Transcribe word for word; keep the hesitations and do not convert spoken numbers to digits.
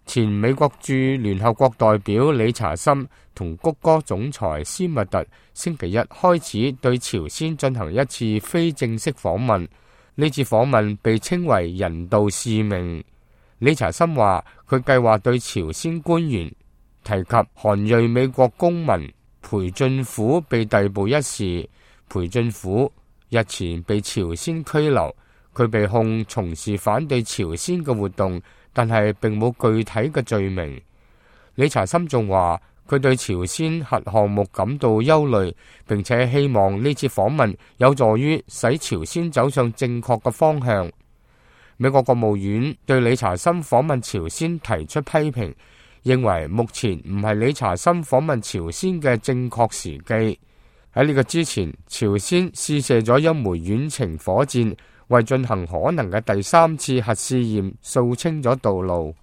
前美國駐聯合國代表理查森同谷歌總裁斯密特星期一開始對朝鮮進行一次非正式訪問，呢次訪問被稱為人道使命。理查森話佢計劃對朝鮮官員提及韓裔美國公民裴俊虎被逮捕一事。裴俊虎日前被朝鮮拘留，佢被控從事反對朝鮮嘅活動，但係並冇具體嘅罪名。理查森仲話佢對朝鮮核項目感到憂慮，並且希望呢次訪問有助於使朝鮮走上正確嘅方向。美國國務院對理查森訪問朝鮮提出批評，認為目前唔係理查森訪問朝鮮嘅正確時機。喺呢個之前，朝鮮試射咗一枚遠程火箭，為進行可能嘅第三次核試驗掃清咗道路。